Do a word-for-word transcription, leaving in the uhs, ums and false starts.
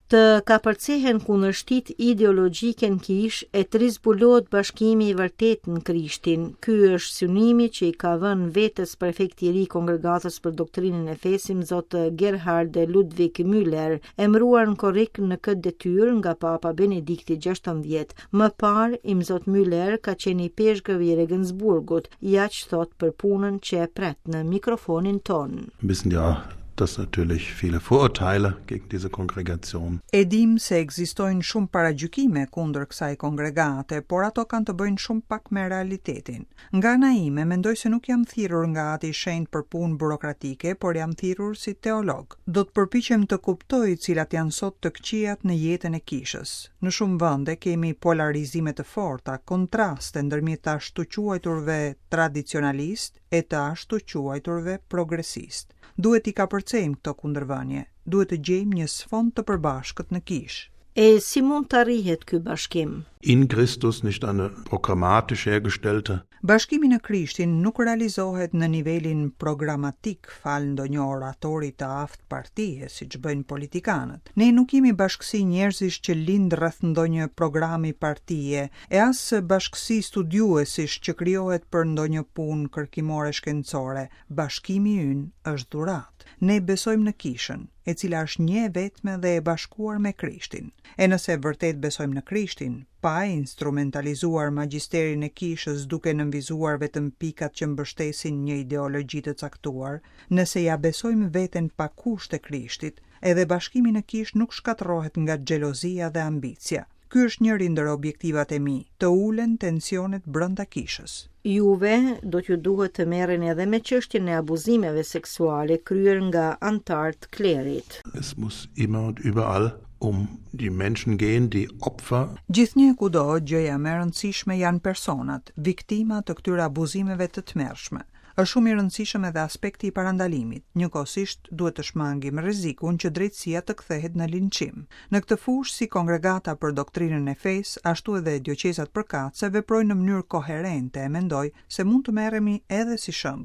Të kapërcehen kundërshtitë ideologjike në kishë e të rizbulohet bashkimi i vërtetë në Krishtin. Ky është synimi që i ka vënë vetes prefekti i ri i Kongregatës për Doktrinën e Fesë, Imzot Gerhard Ludwig Müller, emëruar në korrik në këtë detyrë nga Papa Benedikti gjashtëmbëdhjetë. Më parë, Imzot Müller ka qenë ipeshkëv i Regensburgut, ja ç'thotë për punën që e pret në mikrofonin tonë. Wissen ja, dass natürlich viele Vorurteile gegen diese Kongregation. E dim se ekzistojnë shumë paragjykime kundër kësaj kongregate, por ato kanë të bëjnë shumë pak me realitetin. Nga ana ime, mendoj se nuk jam thirrur nga Ati i Shenjtë për punë burokratike, por jam thirrur si teolog. Do të përpiqem të kuptoj cilat janë sot të këqijat në jetën e kishës. Në shumë vende kemi polarizime të forta, kontraste ndërmjet të ashtuquajturve tradicionalist e të ashtuquajturve progresist. Duhet t'i kapërcejmë këto kundërvënie, duhet të gjejmë një sfond të përbashkët në kishë. E si mund të arrihet ky bashkim? In Christus, nicht eine programmatisch hergestellte. Bashkimi në Krishtin nuk realizohet në nivelin programatik falë ndonjë oratori të aftë partie, siç bëjnë politikanët. Ne nuk jemi bashkësi njerëzish që lind rreth ndonjë programi partie, e as bashkësi studiuesish që krijohet për ndonjë punë kërkimore shkencore. Bashkimi ynë është dhuratë. Ne besojmë në kishën, e cila është një e vetme dhe e bashkuar me Krishtin. E nëse vërtet besojmë në Krishtin, pa e instrumentalizuar magjisterin e kishës duke nënvizuar vetëm pikat që mbështesin një ideologji të caktuar, nëse ja besojmë veten pa kushte Krishtit, edhe bashkimi në kishë nuk shkatërrohet nga xhelozia dhe ambicia. Ky është njëri ndër objektivat e mi, të ulen tensionet brenda kishës. Juve do t'ju duhet të merreni edhe me çështjen e abuzimeve seksuale kryer nga anëtarë të klerit. Es muss immer und überall um die Menschen gehen, die Opfer. Gjithnjë kudo, gjëja më e rëndësishme janë personat, viktima të këtyre abuzimeve të tmerrshme. Është shumë i rëndësishëm edhe aspekti i parandalimit. Njëkohësisht duhet të shmangim rrezikun që drejtësia të kthehet në linçim. Në këtë fushë, si Kongregata për Doktrinën e Fesë, ashtu edhe dioqezat përkatëse veprojnë në mënyrë koherente e mendoj se mund të merremi edhe si shembull.